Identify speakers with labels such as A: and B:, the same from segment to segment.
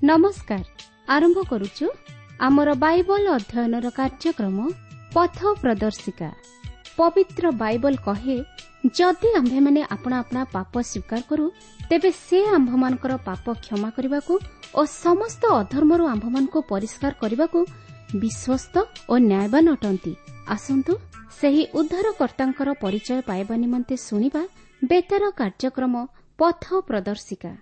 A: ନମସ୍କାର। ଆରମ୍ଭ କରୁଛୁ ଆମର ବାଇବଲ ଅଧ୍ୟୟନର କାର୍ଯ୍ୟକ୍ରମ ପଥ ପ୍ରଦର୍ଶିକା। ପବିତ୍ର ବାଇବଲ କହେ, ଯଦି ଆମ୍ଭେମାନେ ଆପଣା ଆପଣା ପାପ ସ୍ୱୀକାର କରୁ, ତେବେ ସେ ଆମ୍ଭମାନଙ୍କର ପାପ କ୍ଷମା କରିବାକୁ ଓ ସମସ୍ତ ଅଧର୍ମରୁ ଆମ୍ଭମାନଙ୍କୁ ପରିଷ୍କାର କରିବାକୁ ବିଶ୍ୱସ୍ତ ଓ ନ୍ୟାୟବାନ ଅଟନ୍ତି। ଆସନ୍ତୁ ସେହି ଉଦ୍ଧାରକର୍ତ୍ତାଙ୍କର ପରିଚୟ ପାଇବା ନିମନ୍ତେ ଶୁଣିବା ବେତାର କାର୍ଯ୍ୟକ୍ରମ ପଥ ପ୍ରଦର୍ଶିକା।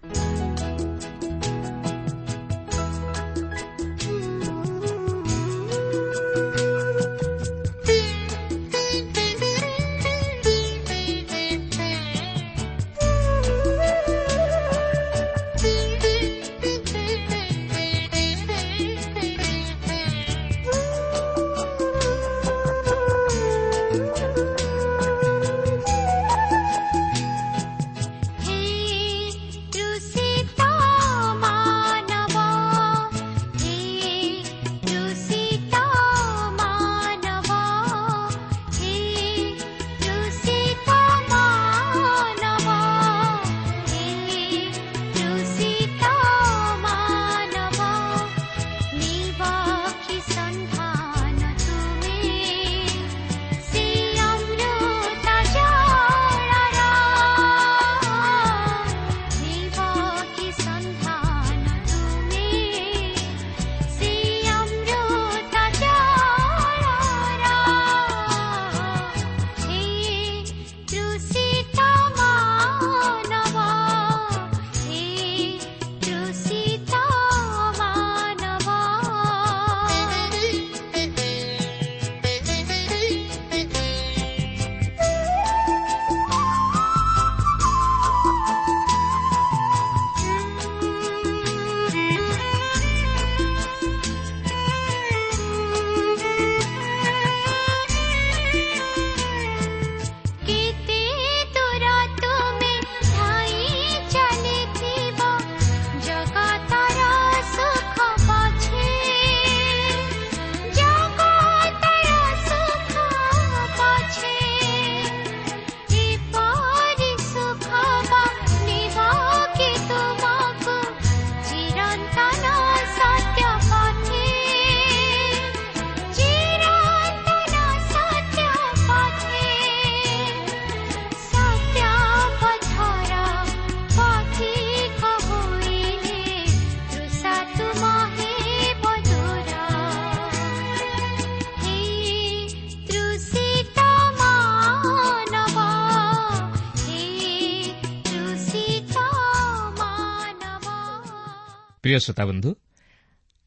B: ପ୍ରିୟ ଶ୍ରୋତାବନ୍ଧୁ,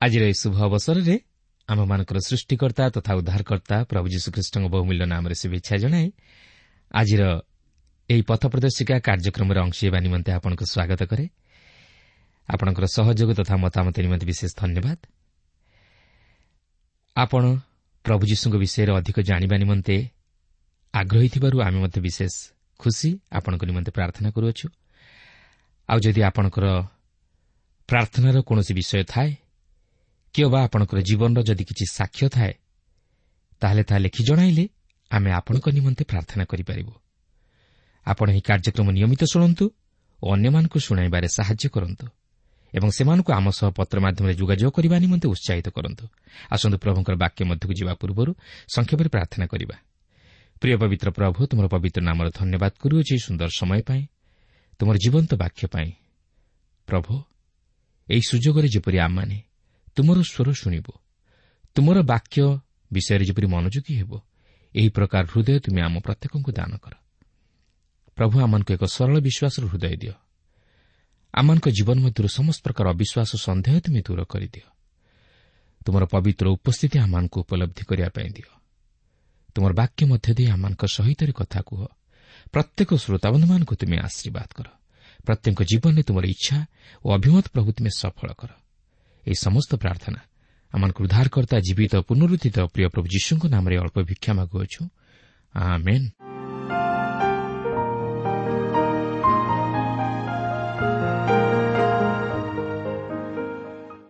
B: ଆଜିର ଏହି ଶୁଭ ଅବସରରେ ଆମମାନଙ୍କର ସୃଷ୍ଟିକର୍ତ୍ତା ତଥା ଉଦ୍ଧାରକର୍ତ୍ତା ପ୍ରଭୁ ଯୀଶୁଖ୍ରୀଷ୍ଟଙ୍କ ବହୁମୂଲ୍ୟ ନାମରେ ଶୁଭେଚ୍ଛା ଜଣାଇ ଆଜିର ଏହି ପଥ ପ୍ରଦର୍ଶିକା କାର୍ଯ୍ୟକ୍ରମରେ ଅଂଶ ହେବା ନିମନ୍ତେ ଆପଣଙ୍କୁ ସ୍ୱାଗତ କରେ। ଆପଣଙ୍କର ସହଯୋଗ ତଥା ମତାମତ ନିମନ୍ତେ ବିଶେଷ ଧନ୍ୟବାଦ। ଆପଣ ପ୍ରଭୁ ଯୀଶୁଙ୍କ ବିଷୟରେ ଅଧିକ ଜାଣିବା ନିମନ୍ତେ ଆଗ୍ରହୀ ଥିବାରୁ ଆମେ ମଧ୍ୟ ବିଶେଷ ଖୁସି। ଆପଣଙ୍କ ନିମନ୍ତେ ପ୍ରାର୍ଥନା କରୁଅଛୁ। ଆଉ ଯଦି ଆପଣଙ୍କର ପ୍ରାର୍ଥନାର କୌଣସି ବିଷୟ ଥାଏ କିମ୍ବା ଆପଣଙ୍କର ଜୀବନର ଯଦି କିଛି ସାକ୍ଷ୍ୟ ଥାଏ, ତାହେଲେ ତାହା ଲେଖି ଜଣାଇଲେ ଆମେ ଆପଣଙ୍କ ନିମନ୍ତେ ପ୍ରାର୍ଥନା କରିପାରିବୁ। ଆପଣ ଏହି କାର୍ଯ୍ୟକ୍ରମ ନିୟମିତ ଶୁଣନ୍ତୁ ଓ ଅନ୍ୟମାନଙ୍କୁ ଶୁଣାଇବାରେ ସାହାଯ୍ୟ କରନ୍ତୁ ଏବଂ ସେମାନଙ୍କୁ ଆମ ସହ ପତ୍ର ମାଧ୍ୟମରେ ଯୋଗାଯୋଗ କରିବା ନିମନ୍ତେ ଉତ୍ସାହିତ କରନ୍ତୁ। ଆସନ୍ତୁ ପ୍ରଭୁଙ୍କର ବାକ୍ୟ ମଧ୍ୟକୁ ଯିବା ପୂର୍ବରୁ ସଂକ୍ଷେପରେ ପ୍ରାର୍ଥନା କରିବା। ପ୍ରିୟ ପବିତ୍ର ପ୍ରଭୁ, ତୁମର ପବିତ୍ର ନାମର ଧନ୍ୟବାଦ କରୁଅଛି ସୁନ୍ଦର ସମୟ ପାଇଁ, ତୁମର ଜୀବନ୍ତ ବାକ୍ୟ ପାଇଁ। ପ୍ରଭୁ, ଏହି ସୁଯୋଗରେ ଯେପରି ଆମମାନେ ତୁମର ସ୍ୱର ଶୁଣିବୁ, ତୁମର ବାକ୍ୟ ବିଷୟରେ ଯେପରି ମନୋଯୋଗୀ ହେବ, ଏହି ପ୍ରକାର ହୃଦୟ ତୁମେ ଆମ ପ୍ରତ୍ୟେକଙ୍କୁ ଦାନ କର। ପ୍ରଭୁ, ଆମମାନଙ୍କୁ ଏକ ସରଳ ବିଶ୍ୱାସର ହୃଦୟ ଦିଅ। ଆମମାନଙ୍କ ଜୀବନ ମଧ୍ୟରୁ ସମସ୍ତ ପ୍ରକାର ଅବିଶ୍ୱାସ, ସନ୍ଦେହ ତୁମେ ଦୂର କରିଦିଅ। ତୁମର ପବିତ୍ର ଉପସ୍ଥିତି ଆମମାନଙ୍କୁ ଉପଲବ୍ଧି କରିବା ପାଇଁ ଦିଅ। ତୁମର ବାକ୍ୟ ମଧ୍ୟ ଦେଇ ଆମମାନଙ୍କ ସହିତ କଥା କୁହ। ପ୍ରତ୍ୟେକ ଶ୍ରୋତାବନ୍ଧୁମାନଙ୍କୁ ତୁମେ ଆଶୀର୍ବାଦ କର। ପ୍ରତ୍ୟେକ ଜୀବନରେ ତୁମର ଇଚ୍ଛା ଓ ଅଭିମତ ପ୍ରଭୁ ତୁମେ ସଫଳ କର। ଏହି ସମସ୍ତ ପ୍ରାର୍ଥନା ଆମମାନଙ୍କୁ ଉଦ୍ଧାରକର୍ତ୍ତା ଜୀବିତ ପୁନରୁତ୍ଥିତ ପ୍ରିୟ ପ୍ରଭୁ ଯୀଶୁଙ୍କ ନାମରେ ଅଳ୍ପ ଭିକ୍ଷା ମାଗୁଅଛୁ, ଆମେନ୍।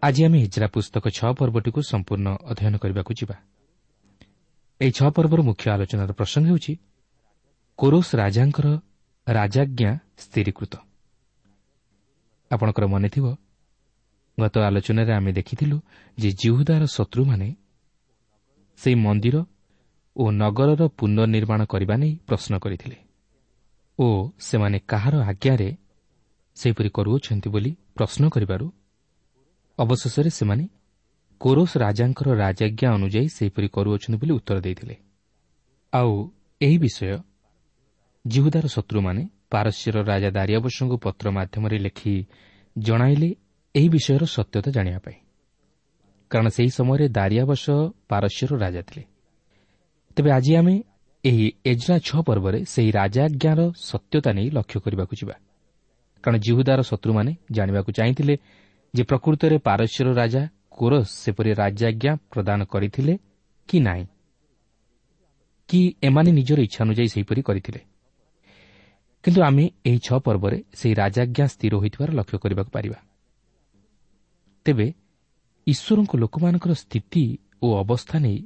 B: ଆଜି ଆମେ ହିଜ୍ରା ପୁସ୍ତକ 6 ପର୍ବଟିକୁ ସମ୍ପୂର୍ଣ୍ଣ ଅଧ୍ୟୟନ କରିବାକୁ ଯିବା। ଏହି 6 ପର୍ବର ମୁଖ୍ୟ ଆଲୋଚନାର ପ୍ରସଙ୍ଗ ହେଉଛି କୋରୋସ ରାଜାଙ୍କର ରାଜାଜ୍ଞା ସ୍ଥିରୀକୃତ। ଆପଣଙ୍କର ମନେଥିବ, ଗତ ଆଲୋଚନାରେ ଆମେ ଦେଖିଥିଲୁ ଯେ ଜିହୁଦାର ଶତ୍ରୁମାନେ ସେହି ମନ୍ଦିର ଓ ନଗରର ପୁନର୍ନିର୍ମାଣ କରିବା ନେଇ ପ୍ରଶ୍ନ କରିଥିଲେ ଓ ସେମାନେ କାହାର ଆଜ୍ଞାରେ ସେହିପରି କରୁଅଛନ୍ତି ବୋଲି ପ୍ରଶ୍ନ କରିବାରୁ ଅବଶେଷରେ ସେମାନେ କୋରୋସ ରାଜାଙ୍କର ରାଜାଜ୍ଞା ଅନୁଯାୟୀ ସେହିପରି କରୁଅଛନ୍ତି ବୋଲି ଉତ୍ତର ଦେଇଥିଲେ। ଆଉ ଏହି ବିଷୟ ଜିହୁଦାର ଶତ୍ରୁମାନେ ପାରସ୍ୟର ରାଜା ଦାରିଆବସଙ୍କୁ ପତ୍ର ମାଧ୍ୟମରେ ଲେଖି ଜଣାଇଲେ ଏହି ବିଷୟର ସତ୍ୟତା ଜାଣିବା ପାଇଁ, କାରଣ ସେହି ସମୟରେ ଦାରିଆବସ ପାରସ୍ୟର ରାଜା ଥିଲେ। ତେବେ ଆଜି ଆମେ ଏହି ଏଜ୍ରା 6 ପର୍ବରେ ସେହି ରାଜାଜ୍ଞାର ସତ୍ୟତା ନେଇ ଲକ୍ଷ୍ୟ କରିବାକୁ ଯିବା, କାରଣ ଜିହୁଦାର ଶତ୍ରୁମାନେ ଜାଣିବାକୁ ଚାହିଁଥିଲେ ଯେ ପ୍ରକୃତରେ ପାରସ୍ୟର ରାଜା କୋରସ ସେପରି ରାଜାଜ୍ଞା ପ୍ରଦାନ କରିଥିଲେ କି ନାହିଁ, କି ଏମାନେ ନିଜର ଇଚ୍ଛା ଅନୁଯାୟୀ ସେହିପରି କରିଥିଲେ। କିନ୍ତୁ ଆମେ ଏହି 6 ପର୍ବରେ ସେହି ରାଜାଜ୍ଞା ସ୍ଥିର ହୋଇଥିବାର ଲକ୍ଷ୍ୟ କରିବାକୁ ପାରିବା। ତେବେ ଈଶ୍ୱରଙ୍କ ଲୋକମାନଙ୍କର ସ୍ଥିତି ଓ ଅବସ୍ଥା ନେଇ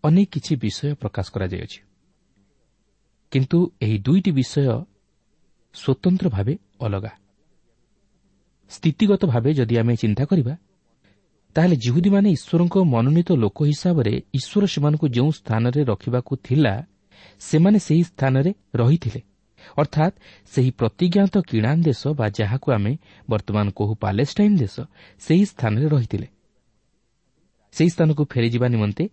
B: ଅନେକ କିଛି ବିଷୟ ପ୍ରକାଶ କରାଯାଇଅଛି, କିନ୍ତୁ ଏହି ଦୁଇଟି ବିଷୟ ସ୍ୱତନ୍ତ୍ର ଭାବେ ଅଲଗା। ସ୍ଥିତିଗତ ଭାବେ ଯଦି ଆମେ ଚିନ୍ତା କରିବା, ତାହେଲେ ଜିହୁଦୀମାନେ ଈଶ୍ୱରଙ୍କ ମନୋନୀତ ଲୋକ ହିସାବରେ ଈଶ୍ୱର ସେମାନଙ୍କୁ ଯେଉଁ ସ୍ଥାନରେ ରଖିବାକୁ ଥିଲା ସେମାନେ ସେହି ସ୍ଥାନରେ ରହିଥିଲେ, ଅର୍ଥାତ୍ ସେହି ପ୍ରତିଜ୍ଞାତ କିଣାନ ଦେଶ ବା ଯାହାକୁ ଆମେ ବର୍ତ୍ତମାନ କହୁ ପାଲେଷ୍ଟାଇନ୍ ଦେଶ, ସେହି ସ୍ଥାନରେ ରହିଥିଲେ। ସେହି ସ୍ଥାନକୁ ଫେରିଯିବା ନିମନ୍ତେ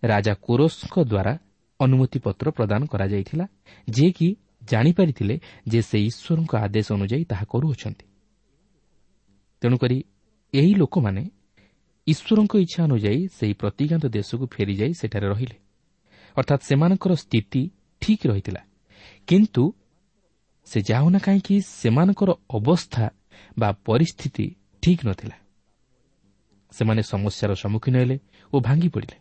B: ରାଜା କୋରସଙ୍କ ଦ୍ୱାରା ଅନୁମତିପତ୍ର ପ୍ରଦାନ କରାଯାଇଥିଲା, ଯିଏକି ଜାଣିପାରିଥିଲେ ଯେ ସେ ଈଶ୍ୱରଙ୍କ ଆଦେଶ ଅନୁଯାୟୀ ତାହା କରୁଅଛନ୍ତି। ତେଣୁକରି ଏହି ଲୋକମାନେ ଈଶ୍ୱରଙ୍କ ଇଚ୍ଛା ଅନୁଯାୟୀ ସେହି ପ୍ରତିଜ୍ଞାତ ଦେଶକୁ ଫେରିଯାଇ ସେଠାରେ ରହିଲେ, ଅର୍ଥାତ୍ ସେମାନଙ୍କର ସ୍ଥିତି ଠିକ୍ ରହିଥିଲା। କିନ୍ତୁ ସେ ଯାହା ହେଉନା କାହିଁକି ସେମାନଙ୍କର ଅବସ୍ଥା ବା ପରିସ୍ଥିତି ଠିକ୍ ନଥିଲା। ସେମାନେ ସମସ୍ୟାର ସମ୍ମୁଖୀନ ହେଲେ ଓ ଭାଙ୍ଗି ପଡ଼ିଲେ।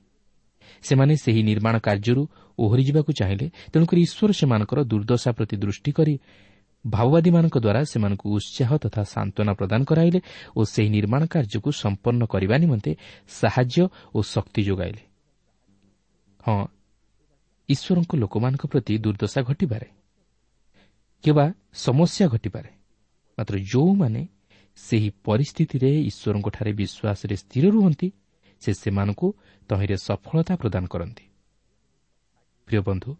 B: ସେମାନେ ସେହି ନିର୍ମାଣ କାର୍ଯ୍ୟରୁ ଓହରିଯିବାକୁ ଚାହିଁଲେ। ତେଣୁକରି ଈଶ୍ୱର ସେମାନଙ୍କର ଦୁର୍ଦ୍ଦଶା ପ୍ରତି ଦୃଷ୍ଟି କରି ଭାବବାଦୀମାନଙ୍କ ଦ୍ୱାରା ସେମାନଙ୍କୁ ଉତ୍ସାହ ତଥା ସାନ୍ତ୍ୱନା ପ୍ରଦାନ କରାଇଲେ ଓ ସେହି ନିର୍ମାଣ କାର୍ଯ୍ୟକୁ ସମ୍ପନ୍ନ କରିବା ନିମନ୍ତେ ସାହାଯ୍ୟ ଓ ଶକ୍ତି ଯୋଗାଇଲେ। ହଁ, ଈଶ୍ୱରଙ୍କ ଲୋକମାନଙ୍କ ପ୍ରତି ଦୁର୍ଦ୍ଦଶା ଘଟିପାରେ କିମ୍ବା ସମସ୍ୟା ଘଟିପାରେ, ମାତ୍ର ଯେଉଁମାନେ ସେହି ପରିସ୍ଥିତିରେ ଈଶ୍ୱରଙ୍କଠାରେ ବିଶ୍ୱାସରେ ସ୍ଥିର ରୁହନ୍ତି, ସେ ସେମାନଙ୍କୁ ତହିଁରେ ସଫଳତା ପ୍ରଦାନ କରନ୍ତି। ପ୍ରିୟ ବନ୍ଧୁ,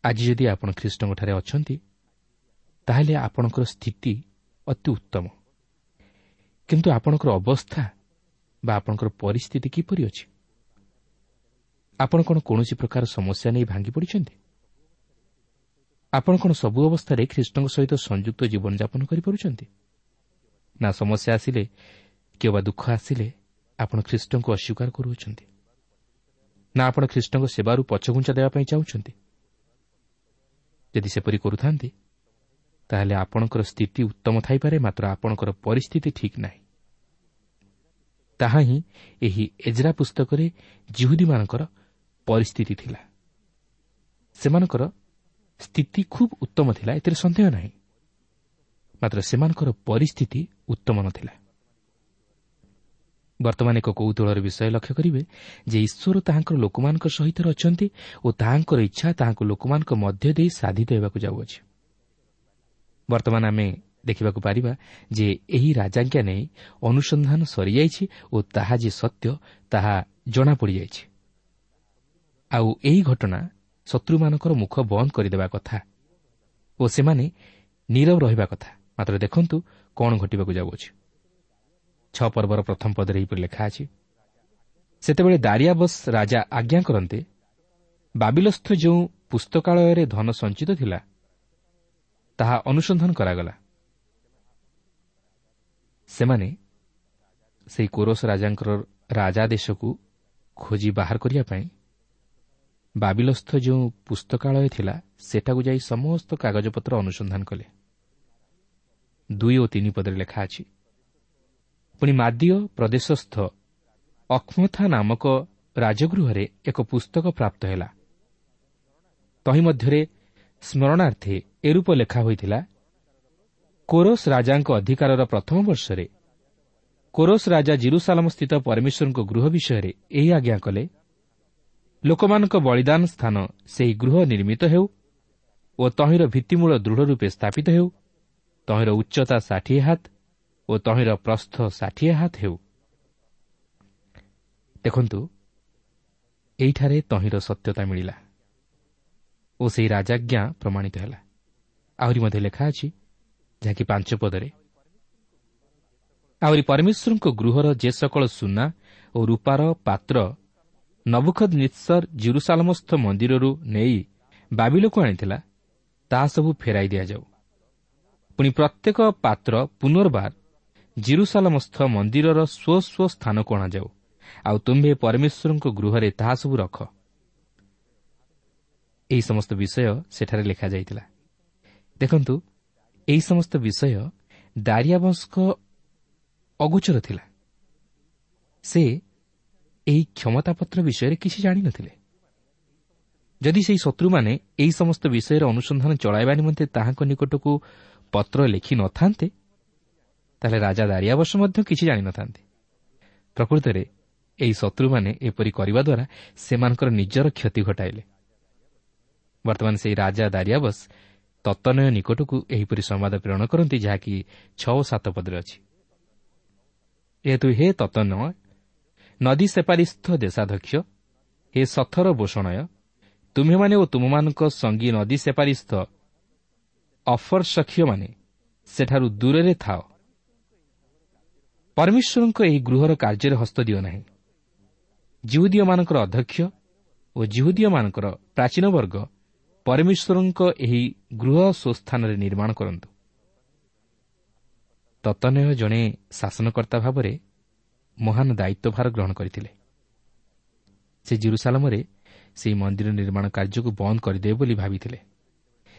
B: ଆଜି ଯଦି ଆପଣ ଖ୍ରୀଷ୍ଟଙ୍କଠାରେ ଅଛନ୍ତି, ତାହେଲେ ଆପଣଙ୍କର ସ୍ଥିତି ଅତି ଉତ୍ତମ। କିନ୍ତୁ ଆପଣଙ୍କର ଅବସ୍ଥା ବା ଆପଣଙ୍କର ପରିସ୍ଥିତି କିପରି ଅଛି? ଆପଣ କ'ଣ କୌଣସି ପ୍ରକାର ସମସ୍ୟା ନେଇ ଭାଙ୍ଗି ପଡ଼ିଛନ୍ତି? ଆପଣ କ'ଣ ସବୁ ଅବସ୍ଥାରେ ଖ୍ରୀଷ୍ଟଙ୍କ ସହିତ ସଂଯୁକ୍ତ ଜୀବନଯାପନ କରିପାରୁଛନ୍ତି? ନା ସମସ୍ୟା ଆସିଲେ କିମ୍ବା ଦୁଃଖ ଆସିଲେ ଆପଣ ଖ୍ରୀଷ୍ଟଙ୍କୁ ଅସ୍ୱୀକାର କରୁଅଛନ୍ତି? ନା ଆପଣ ଖ୍ରୀଷ୍ଟଙ୍କ ସେବାରୁ ପଛଘୁଞ୍ଚା ଦେବା ପାଇଁ ଚାହୁଁଛନ୍ତି? ଯଦି ସେପରି କରୁଥାନ୍ତି, ତାହେଲେ ଆପଣଙ୍କର ସ୍ଥିତି ଉତ୍ତମ ଥାଇପାରେ, ମାତ୍ର ଆପଣଙ୍କର ପରିସ୍ଥିତି ଠିକ୍ ନାହିଁ। ତାହା ହିଁ ଏହି ଏଜ୍ରା ପୁସ୍ତକରେ ଜିହୁଦୀମାନଙ୍କର ପରିସ୍ଥିତି ଥିଲା। ସେମାନଙ୍କର ସ୍ଥିତି ଖୁବ୍ ଉତ୍ତମ ଥିଲା, ଏଥିରେ ସନ୍ଦେହ ନାହିଁ, ମାତ୍ର ସେମାନଙ୍କର ପରିସ୍ଥିତି ଉତ୍ତମ ନଥିଲା। ବର୍ତ୍ତମାନ ଏକ କୌତୂହଳର ବିଷୟ ଲକ୍ଷ୍ୟ କରିବେ ଯେ ଈଶ୍ୱର ତାହାଙ୍କର ଲୋକମାନଙ୍କ ସହିତ ଅଛନ୍ତି ଓ ତାହାଙ୍କର ଇଚ୍ଛା ତାହାଙ୍କ ଲୋକମାନଙ୍କ ମଧ୍ୟ ଦେଇ ସାଧିତ ହେବାକୁ ଯାଉଅଛି। ବର୍ତ୍ତମାନ ଆମେ ଦେଖିବାକୁ ପାରିବା ଯେ ଏହି ରାଜାଜ୍ଞା ନେଇ ଅନୁସନ୍ଧାନ ସରିଯାଇଛି ଓ ତାହା ଯେ ସତ୍ୟ ତାହା ଜଣାପଡ଼ିଯାଇଛି। ଆଉ ଏହି ଘଟଣା ଶତ୍ରୁମାନଙ୍କର ମୁଖ ବନ୍ଦ କରିଦେବା କଥା ଓ ସେମାନେ ନୀରବ ରହିବା କଥା। ମାତ୍ର ଦେଖନ୍ତୁ କ'ଣ ଘଟିବାକୁ ଯାଉଅଛି। 6 ପର୍ବର ପ୍ରଥମ ପଦରେ ଏହିପରି ଲେଖା ଅଛି, ସେତେବେଳେ ଦାରିଆବସ୍ ରାଜା ଆଜ୍ଞା କରନ୍ତେ ବାବିଲସ୍ଥ ଯେଉଁ ପୁସ୍ତକାଳୟରେ ଧନ ସଞ୍ଚିତ ଥିଲା ତାହା ଅନୁସନ୍ଧାନ କରାଗଲା। ସେମାନେ ସେହି କୋରସ ରାଜାଙ୍କର ରାଜାଦେଶକୁ ଖୋଜି ବାହାର କରିବା ପାଇଁ ବାବିଲସ୍ଥ ଯେଉଁ ପୁସ୍ତକାଳୟ ଥିଲା ସେଠାକୁ ଯାଇ ସମସ୍ତ କାଗଜପତ୍ର ଅନୁସନ୍ଧାନ କଲେ। 2 ଓ 3 ପଦରେ ଲେଖା ଅଛି, ପୁଣି ମାଦୀୟ ପ୍ରଦେଶସ୍ଥ ଅକ୍ମଥା ନାମକ ରାଜଗୃହରେ ଏକ ପୁସ୍ତକ ପ୍ରାପ୍ତ ହେଲା। ତହିଁ ମଧ୍ୟରେ ସ୍ମରଣାର୍ଥେ ଏରୂପ ଲେଖା ହୋଇଥିଲା, କୋରସ ରାଜାଙ୍କ ଅଧିକାରର ପ୍ରଥମ ବର୍ଷରେ କୋରସ ରାଜା ଜିରୁସାଲମ ସ୍ଥିତ ପରମେଶ୍ୱରଙ୍କ ଗୃହ ବିଷୟରେ ଏହି ଆଜ୍ଞା କଲେ, ଲୋକମାନଙ୍କ ବଳିଦାନ ସ୍ଥାନ ସେହି ଗୃହ ନିର୍ମିତ ହେଉ ଓ ତହିଁର ଭିତ୍ତିମୂଳ ଦୃଢ଼ ରୂପେ ସ୍ଥାପିତ ହେଉ। ତହିଁର ଉଚ୍ଚତା 60 ହାତ ଓ ତହିଁର ପ୍ରସ୍ଥ 60 ହାତ ହେଉ। ଦେଖନ୍ତୁ, ଏଇଠାରେ ତହିଁର ସତ୍ୟତା ମିଳିଲା ଓ ସେହି ରାଜାଜ୍ଞା ପ୍ରମାଣିତ ହେଲା। ଆହୁରି ମଧ୍ୟ ଲେଖା ଅଛି, ଯାହାକି 5 ପଦରେ, ଆହୁରି ପରମେଶ୍ୱରଙ୍କ ଗୃହର ଯେ ସକଳ ସୁନା ଓ ରୂପାର ପାତ୍ର ନବୁଖଦନିତ୍ସର ଜିରୁସାଲମସ୍ଥ ମନ୍ଦିରରୁ ନେଇ ବାବିଲକୁ ଆଣିଥିଲା, ତାହା ସବୁ ଫେରାଇ ଦିଆଯାଉ। ପୁଣି ପ୍ରତ୍ୟେକ ପାତ୍ର ପୁନର୍ବାର ଜିରୁସାଲମସ୍ଥ ମନ୍ଦିରର ସ୍ୱ ସ୍ୱ ସ୍ଥାନକୁ ଅଣାଯାଉ, ଆଉ ତୁମ୍ଭେ ପରମେଶ୍ୱରଙ୍କ ଗୃହରେ ତାହା ସବୁ ରଖ। ଏହି ସମସ୍ତ ବିଷୟ ସେଠାରେ ଲେଖାଯାଇଥିଲା। ଦେଖନ୍ତୁ, ଏହି ସମସ୍ତ ବିଷୟ ଦାରିଆବସଙ୍କ ଅଗୋଚର ଥିଲା। ସେ ଏହି କ୍ଷମତାପତ୍ର ବିଷୟରେ କିଛି ଜାଣିନଥିଲେ। ଯଦି ସେହି ଶତ୍ରୁମାନେ ଏହି ସମସ୍ତ ବିଷୟରେ ଅନୁସନ୍ଧାନ ଚଳାଇବା ନିମନ୍ତେ ତାହାଙ୍କ ନିକଟକୁ ପତ୍ର ଲେଖି ନଥାନ୍ତେ, ତାହେଲେ ରାଜା ଦାରିଆବସ ମଧ୍ୟ କିଛି ଜାଣିନଥାନ୍ତେ। ପ୍ରକୃତରେ ଏହି ଶତ୍ରୁମାନେ ଏପରି କରିବା ଦ୍ୱାରା ସେମାନଙ୍କର ନିଜର କ୍ଷତି ଘଟାଇଲେ। ବର୍ତ୍ତମାନ ସେହି ରାଜା ଦାରିଆବସ ତତ୍ତନୟ ନିକଟକୁ ଏହିପରି ସମ୍ବାଦ ପ୍ରେରଣ କରନ୍ତି, ଯାହାକି 6 ଓ 7 ପଦରେ ଅଛି। ଏହେତୁ ହେ ତତ୍ତନୟ, ନଦୀ ସେପାରିସ୍ଥ ଦେଶାଧ୍ୟକ୍ଷ, ହେ ସଥର ବୋଷଣୟ, ତୁମ୍ଭେମାନେ ଓ ତୁମମାନଙ୍କ ସଙ୍ଗୀ ନଦୀ ସେପାରିସ୍ଥ ଅଫରସଖୀୟମାନେ ସେଠାରୁ ଦୂରରେ ଥାଅ। ପରମେଶ୍ୱରଙ୍କ ଏହି ଗୃହର କାର୍ଯ୍ୟରେ ହସ୍ତ ଦିଅ ନାହିଁ। ଯିହୁଦୀୟମାନଙ୍କର ଅଧ୍ୟକ୍ଷ ଓ ଯିହୁଦୀୟମାନଙ୍କର ପ୍ରାଚୀନବର୍ଗ ପରମେଶ୍ୱରଙ୍କ ଏହି ଗୃହ ସ୍ୱସ୍ଥାନରେ ନିର୍ମାଣ କରନ୍ତୁ। ତତ୍ତନୟ ଜଣେ ଶାସନକର୍ତ୍ତା ଭାବରେ ମହାନ ଦାୟିତ୍ୱଭାର ଗ୍ରହଣ କରିଥିଲେ। ସେ ଜିରୁସାଲମରେ ସେହି ମନ୍ଦିର ନିର୍ମାଣ କାର୍ଯ୍ୟକୁ ବନ୍ଦ କରିଦେବେ ବୋଲି ଭାବିଥିଲେ।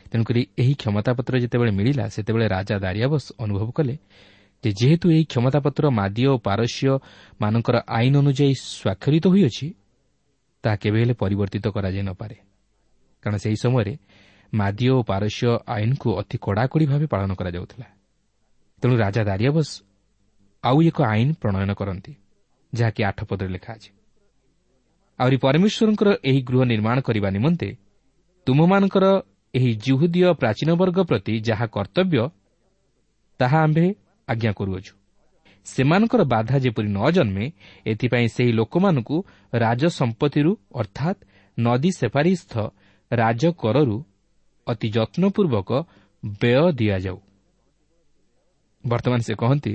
B: ତେଣୁକରି ଏହି କ୍ଷମତାପତ୍ର ଯେତେବେଳେ ମିଳିଲା, ସେତେବେଳେ ରାଜା ଦାରିଆବସ ଅନୁଭବ କଲେ ଯେ ଯେହେତୁ ଏହି କ୍ଷମତାପତ୍ର ମାଦୀୟ ଓ ପାରସ୍ୟମାନଙ୍କର ଆଇନ ଅନୁଯାୟୀ ସ୍ୱାକ୍ଷରିତ ହୋଇଅଛି, ତାହା କେବେ ହେଲେ ପରିବର୍ତ୍ତିତ କରାଯାଇ ନପାରେ। କାରଣ ସେହି ସମୟରେ ମାଦୀୟ ଓ ପାରସ୍ୟ ଆଇନକୁ ଅତି କଡ଼ାକଡ଼ି ଭାବେ ପାଳନ କରାଯାଉଥିଲା। ତେଣୁ ରାଜା ଦାରିଆବସ ଆଉ ଏକ ଆଇନ ପ୍ରଣୟନ କରନ୍ତି, ଯାହାକି 8 ପଦରେ ଲେଖା ଅଛି। ଆହୁରି ପରମେଶ୍ୱରଙ୍କର ଏହି ଗୃହ ନିର୍ମାଣ କରିବା ନିମନ୍ତେ ତୁମମାନଙ୍କର ଏହି ଯିହୁଦୀୟ ପ୍ରାଚୀନବର୍ଗ ପ୍ରତି ଯାହା କର୍ତ୍ତବ୍ୟ, ତାହା ଆମ୍ଭେ ଆଜ୍ଞା କରୁଅଛୁ। ସେମାନଙ୍କର ବାଧା ଯେପରି ନ ଜନ୍ମେ, ଏଥିପାଇଁ ସେହି ଲୋକମାନଙ୍କୁ ରାଜସମ୍ପତ୍ତିରୁ, ଅର୍ଥାତ୍ ନଦୀ ସେପାରିସ୍ଥ ରାଜକରରୁ ଅତି ଯତ୍ନପୂର୍ବକ ବ୍ୟୟ ଦିଆଯାଉ। ବର୍ତ୍ତମାନ ସେ କହନ୍ତି,